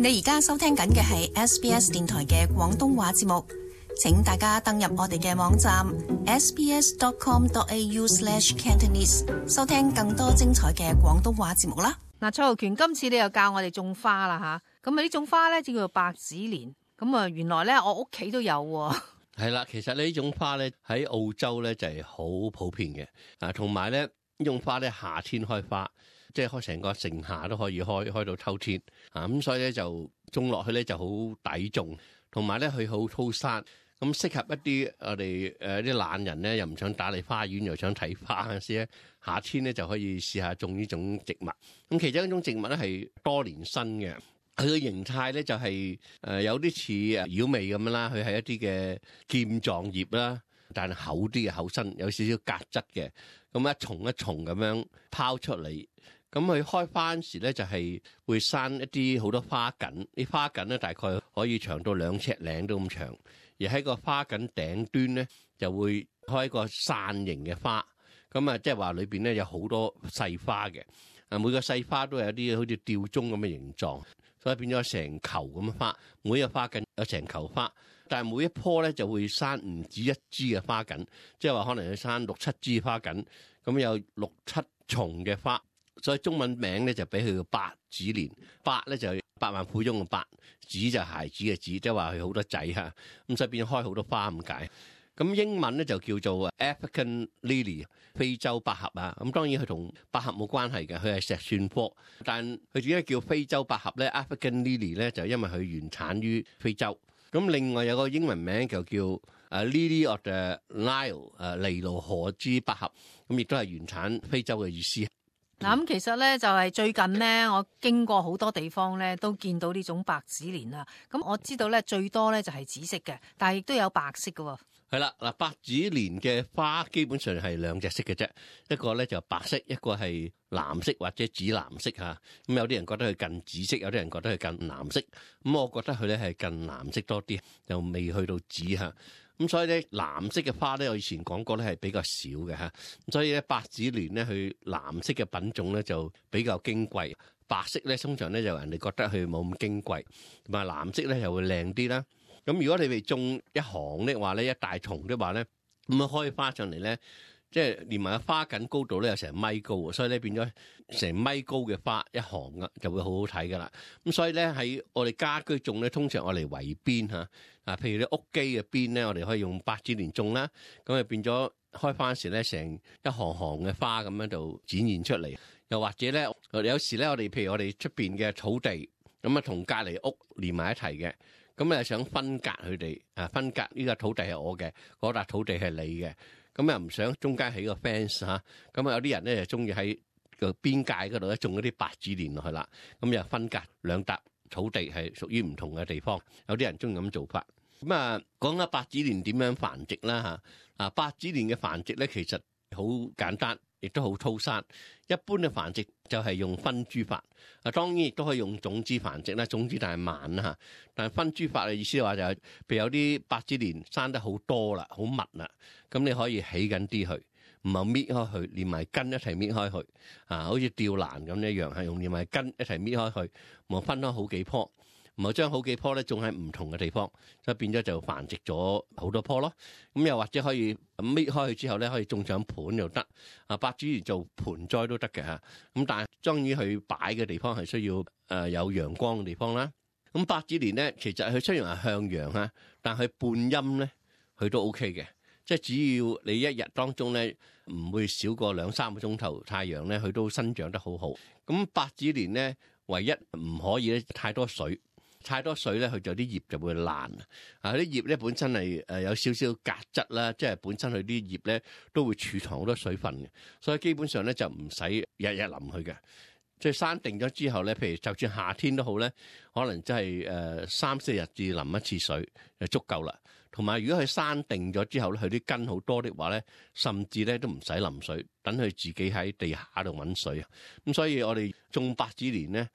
你而家收聽緊嘅係 SBS 電台嘅廣東話節目，請大家登入我哋嘅網站 sbs.com.au/cantonese 收聽更多精彩嘅廣東話節目啦。嗱，蔡浩權，今次你又教我哋種花啦吓，咁啊呢種花咧就叫做白子蓮，咁啊原來咧我屋企都有喎。係啦，其實呢種花咧喺澳洲咧就係好普遍嘅，同埋咧呢種花咧夏天開花，即係開成個盛夏都可以開到秋天，咁所以咧就種落去咧就好抵種，同埋咧佢好粗生，咁適合一啲我哋啲懶人咧又唔想打理花園又想睇花嗰陣時咧，夏天咧就可以試下種呢種植物。咁其中一種植物咧係多年生嘅。佢嘅形態咧就係有啲似妖眉咁樣啦，佢係一啲嘅劍狀葉啦，但係厚啲嘅厚身，有少少格質嘅，咁一重一重咁樣拋出嚟。咁佢開花嗰時咧就係會生一啲好多花梗，啲花梗咧大概可以長到2尺零都咁長，而喺個花梗頂端咧就會開一個傘形嘅花，咁即係話裏邊咧有好多細花嘅，每個細花都有啲好似吊鐘咁嘅形狀。所以變咗成球咁嘅花，每個花梗有成球花，但係每一棵咧就會生唔止一支嘅花梗，即係話可能要生6、7支花梗，咁有6、7重嘅花，所以中文名咧就俾佢個白子蓮。白咧就百萬富翁嘅白，子就孩子嘅子，即係話佢好多仔嚇，咁所以變咗開好多花咁解。咁英文咧就叫做 African Lily 非洲百合啊，咁當然佢同百合冇關係嘅，佢係石蒜科，但佢點解叫非洲百合咧 African Lily 咧，就因為佢原產於非洲。咁另外有個英文名就叫Lily of the Nile 尼羅河之百合，咁亦都係原產非洲嘅意思。嗱，咁其實咧就係最近咧，我經過好多地方咧，都見到呢種白子蓮啦。咁我知道咧最多咧就係紫色嘅，但係亦都有白色嘅喎。係啦，嗱，白子蓮嘅花基本上係2隻色嘅啫，一個咧就白色，一個係藍色或者紫藍色嚇。咁有啲人覺得佢近紫色，有啲人覺得佢近藍色。咁我覺得佢咧係近藍色多啲，又未去到紫嚇。咁所以咧藍色嘅花咧，我以前講過咧係比較少嘅嚇。咁所以咧白子蓮咧，佢藍色嘅品種咧就比較矜貴，白色咧通常咧就人哋覺得佢冇咁矜貴，同埋藍色咧又會靚啲啦。咁如果你哋種一行的話咧，一大叢的話咧，咁開花上嚟咧，即係連埋個花梗高度咧有成米高，所以咧變咗成米高嘅花一行啊，就會好好睇噶啦。咁所以咧喺我哋家居種咧，通常我嚟圍邊嚇，譬如啲屋基嘅邊咧，我哋可以用白子蓮種啦，咁啊變咗開花時咧，成一行行嘅花咁樣就展現出嚟。又或者咧，有時咧我哋譬如我哋出邊嘅草地，咁啊同隔離屋連埋一齊嘅。咁又想分隔佢哋，分隔呢個土地係我嘅，嗰笪土地係你嘅，咁又唔想中間起個 fence 嚇，咁啊有啲人咧就中意喺個邊界嗰度咧種一啲白子蓮落去啦，咁又分隔兩笪土地係屬於唔同嘅地方，有啲人中意咁做法。咁講下白子蓮點樣繁殖啦嚇，白子蓮嘅繁殖咧其實好簡單，亦都好粗生。一般嘅繁殖就係用分株法，當然亦都可以用種子繁殖啦，種子但係慢啦嚇。但係分株法嘅意思嘅話就係，譬如有啲白子蓮生得好多啦，好密啦，咁你可以起緊啲佢，唔係搣開佢，連埋根一齊搣開佢，好似吊蘭咁一樣，係用連埋根一齊搣開佢，唔分開好幾棵。唔係將好幾棵咧種喺唔同嘅地方，所以變咗就繁殖咗好多棵咯。咁又或者可以搣開去之後咧，可以種上盤又得。白子蓮做盆栽都得嘅嚇。咁但係當然佢擺嘅地方係需要有陽光嘅地方啦。咁白子蓮咧，其實佢雖然係向陽嚇，但係半陰咧佢都 OK 嘅。即係只要你一日當中咧唔會少過2-3個鐘頭太陽咧，佢都生長得好好。咁白子蓮咧唯一唔可以咧太多水。太多水咧，佢就啲葉就會爛。啲葉咧本身係有少少鉀質啦，即係本身佢啲葉咧都會儲藏好多水分嘅，所以基本上咧就唔使日日淋佢嘅。即係生定咗之後咧，譬如就算夏天都好咧，可能真係3-4日至淋一次水就足夠啦。同埋如果佢生定咗之後咧，佢啲根好多的話咧，甚至咧都唔使淋水，等佢自己喺地下度揾水啊。咁所以我哋種白子蓮咧，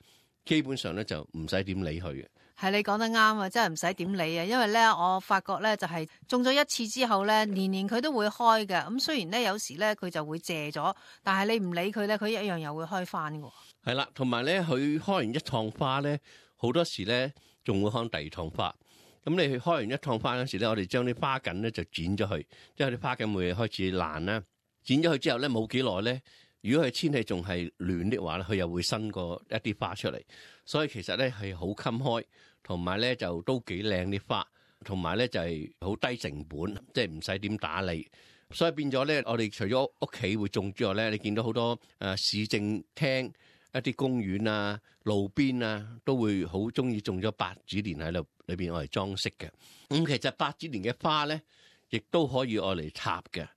基本上咧就唔使點理佢嘅。係你講得啱啊，真係唔使點理啊，因為咧我發覺咧就係種咗一次之後咧，年年佢都會開嘅。咁雖然咧有時咧佢就會謝咗，但係你唔理佢咧，佢一樣又會開翻嘅。係啦，同埋咧佢開完一趟花咧，好多時咧仲會開第二趟花。咁你去開完一趟花嗰時咧，我哋將啲花梗咧就剪咗佢，即係啲花梗會開始爛啦。剪咗佢之後咧，冇幾耐咧，如果佢天氣仲係暖的話咧，佢又會生過一啲花出嚟。所以其實咧係好襟開，同埋咧就都幾靚啲花，同埋咧就係好低成本，即係唔使點打理。所以變咗咧，我哋除咗屋企會種之外咧，你見到好多市政廳、一啲公園啊、路邊啊，都會好中意種咗百子蓮喺度裏邊，我嚟裝飾嘅。咁其實百子蓮嘅花咧，亦都可以我嚟插嘅。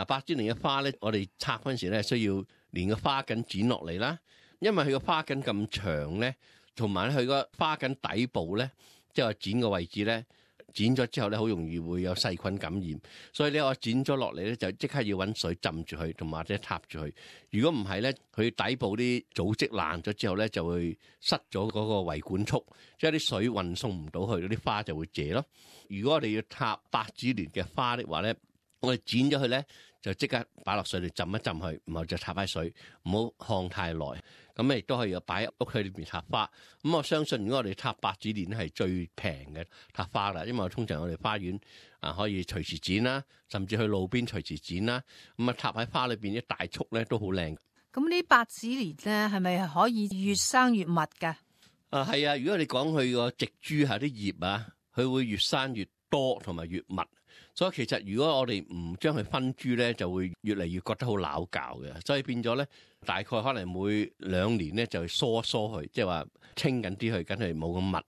百子蓮嘅花咧，我哋插嗰陣時咧，需要連個花梗剪落嚟啦，因為佢個花梗咁長咧，同埋佢個花梗底部咧，即係話剪個位置咧。剪咗之後咧，好容易會有細菌感染，所以咧我剪咗落嚟咧，就即刻要揾水浸住佢，同埋或者插住佢。如果唔係咧，佢底部啲組織爛咗之後咧，就會塞咗嗰個維管束，即係啲水運送唔到去，嗰啲花就會謝咯。如果我哋要插百子蓮嘅花的話咧，我哋剪咗佢咧，就即刻擺落水度浸一浸佢，然後就插喺水，唔好烘太耐。咁亦都可以擺喺屋企裏邊插花。咁我相信，如果我哋插百子蓮咧，係最平嘅插花啦。因為通常我哋花園可以隨時剪啦，甚至去路邊隨時剪啦。咁插喺花裏邊啲大束咧都好靚。咁呢百子蓮咧係咪可以越生越密㗎？係啊，如果你講佢個植株下啲葉啊，佢會越生越多同埋越密。所以其實如果我哋唔將佢分株咧，就會越嚟越覺得好拗教嘅。所以變咗咧，大概可能每2年咧就疏一疏佢，即係話清緊啲佢，梗係冇咁密。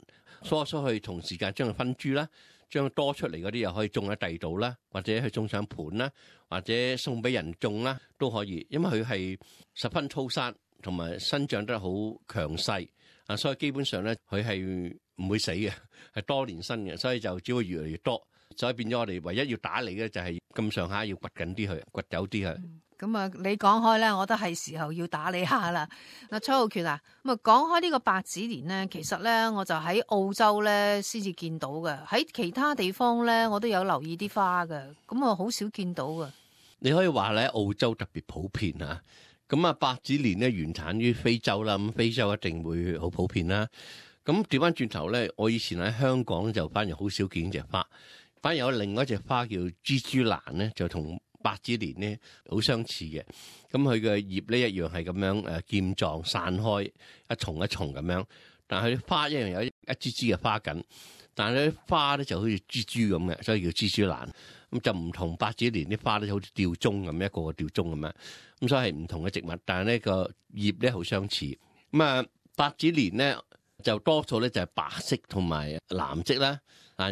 疏一疏佢，同時間將佢分株啦，將多出嚟嗰啲又可以種喺第二度啦，或者去種上盤啦，或者送俾人種啦都可以。因為佢係十分粗生，同埋生長得好強勢啊，所以基本上咧佢係唔會死嘅，係多年生嘅，所以就只會越嚟越多。所以變咗我哋唯一要打理嘅就係咁上下要掘緊啲佢，掘走啲佢。咁啊，你講開咧，我覺得係時候要打理下啦。嗱，崔浩權啊，咁啊講開呢個百子蓮咧，其實咧我就喺澳洲咧先至見到嘅，喺其他地方咧我都有留意啲花嘅，咁啊好少見到嘅。你可以話咧，澳洲特別普遍啊。咁啊，百子蓮咧原產於非洲啦，咁非洲一定會好普遍啦。咁調翻轉頭咧，我以前喺香港就反而好少見隻花。反而有另外一隻花叫蜘蛛蘭咧，就同百子蓮咧好相似嘅。咁佢嘅葉咧一樣係咁樣劍狀散開一重一重咁樣，但係佢花一樣有一支支嘅花梗，但係咧花咧就好似蜘蛛咁嘅，所以叫蜘蛛蘭。咁就唔同百子蓮啲花咧，好似吊鐘咁，一個個吊鐘咁樣。咁所以係唔同嘅植物，但係呢個葉咧好相似。咁啊，百子蓮咧就多數咧就係白色同埋藍色啦。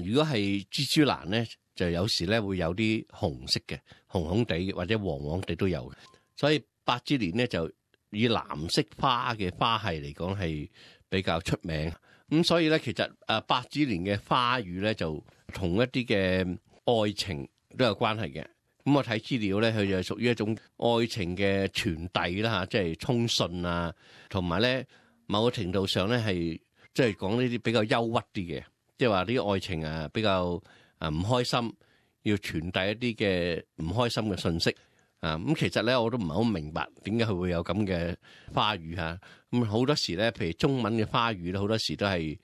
如果係蜘蛛蘭咧，就有時咧會有啲紅色嘅，紅紅地或者黃黃地都有嘅。所以百子蓮咧就以藍色花嘅花系嚟講係比較出名。咁所以咧，其實百子蓮嘅花語咧就同一啲嘅愛情都有關係嘅。咁我睇資料咧，佢就係屬於一種愛情嘅傳遞啦嚇，即係通訊啊，同埋咧某個程度上咧係即係講呢啲比較憂鬱啲嘅。即係話啲愛情比較唔開心，要傳遞一啲嘅唔開心嘅信息咁其實咧我都唔係好明白點解佢會有咁嘅花語嚇。咁好多時咧，譬如中文嘅花語咧，好多時都係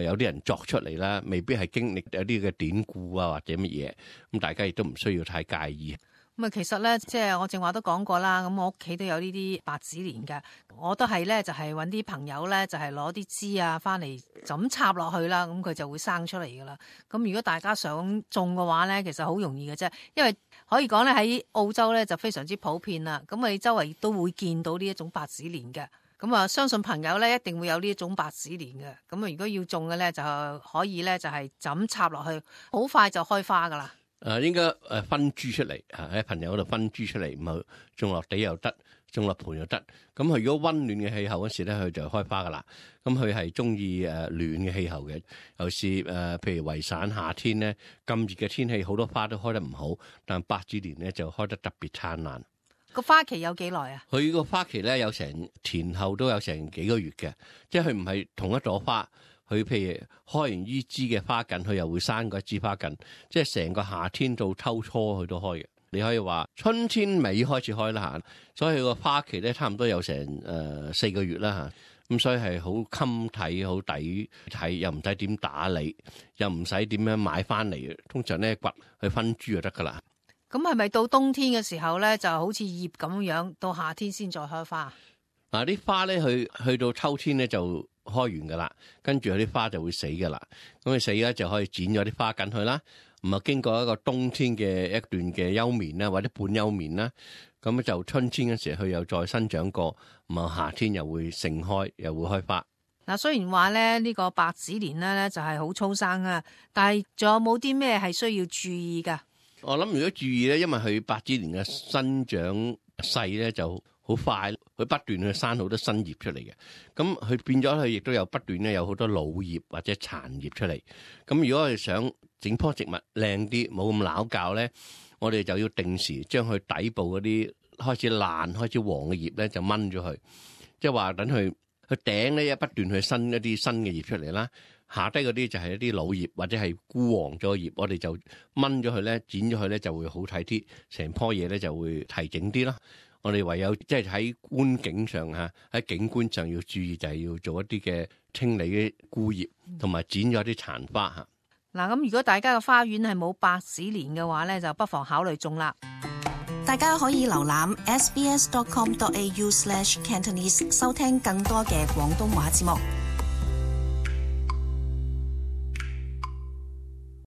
有啲人作出嚟啦，未必係經歷有啲嘅典故啊或者乜嘢。咁大家亦都唔需要太介意。咁啊，其實咧，即係我正話都講過啦。咁我屋企都有呢啲百子蓮嘅，我都係咧，就係揾啲朋友咧，就係攞啲枝啊翻嚟就咁插落去啦，咁佢就會生出嚟噶啦。咁如果大家想種嘅話咧，其實好容易嘅啫，因為可以講咧喺澳洲咧就非常之普遍啦。咁你周圍都會見到呢一種百子蓮嘅。咁啊，相信朋友咧一定會有呢一種百子蓮嘅。咁啊，如果要種嘅咧，就可以咧就係就咁插落去，好快就開花噶啦。應該分株出嚟喺朋友嗰度分株出嚟，咁啊種落地又得，種落盆又得。咁佢如果溫暖嘅氣候嗰時咧，佢就開花噶啦。咁佢係中意暖嘅氣候嘅，尤其是譬如維省夏天咧咁熱嘅天氣，好多花都開得唔好，但百子蓮咧就開得特別燦爛。個花期有幾耐啊？佢個花期咧有成前後都有成幾個月嘅，即係佢唔係同一朵花。佢譬如開完呢支嘅花梗，佢又會生過一支花梗，即係成個夏天到秋初佢都開嘅。你可以話春天尾開始開啦嚇，所以佢個花期咧差唔多有成4個月啦咁所以係好襟睇，好抵睇，又唔使點打理，又唔使點樣買翻嚟，通常咧掘去分株就得噶啦。咁係咪到冬天嘅時候咧，就好似葉咁樣，到夏天先再開花？嗱，啲花咧去到秋天咧就開完噶啦，跟住啲花就會死噶啦。咁佢死咧就可以剪咗啲花緊去啦。咁啊，經過一個冬天嘅一段嘅休眠啦，或者半休眠啦，咁就春天嗰時佢又再生長過，咁啊夏天又會盛開，又會開花。嗱，雖然話咧呢個白紙蓮咧就係好粗生啊，但係仲有冇啲咩係需要注意噶？我諗如果注意咧，因為佢白紙蓮嘅生長勢咧就好快，佢不斷去生好多新葉出嚟嘅，咁佢變咗佢亦都有不斷咧有好多老葉或者殘葉出嚟。咁如果係想整棵植物靚啲，冇咁拗教咧，我哋就要定時將佢底部嗰啲開始爛、開始黃嘅葉咧就掹咗佢，即係話等佢頂咧一不斷去生一啲新嘅葉出嚟啦。下低嗰啲就係一啲老葉或者係枯黃咗嘅葉，我哋就掹咗佢咧，剪咗佢咧就會好睇啲，成棵嘢咧就會提整啲啦。我哋唯有即係喺觀景上嚇，喺景觀上要注意，就係要做一啲嘅清理啲枯葉，同埋剪咗啲殘花嚇。嗱，咁如果大家嘅花園係冇白紙蓮嘅話咧，就不妨考慮種啦。大家可以瀏覽 sbs.com.au/Cantonese 收聽更多嘅廣東話節目。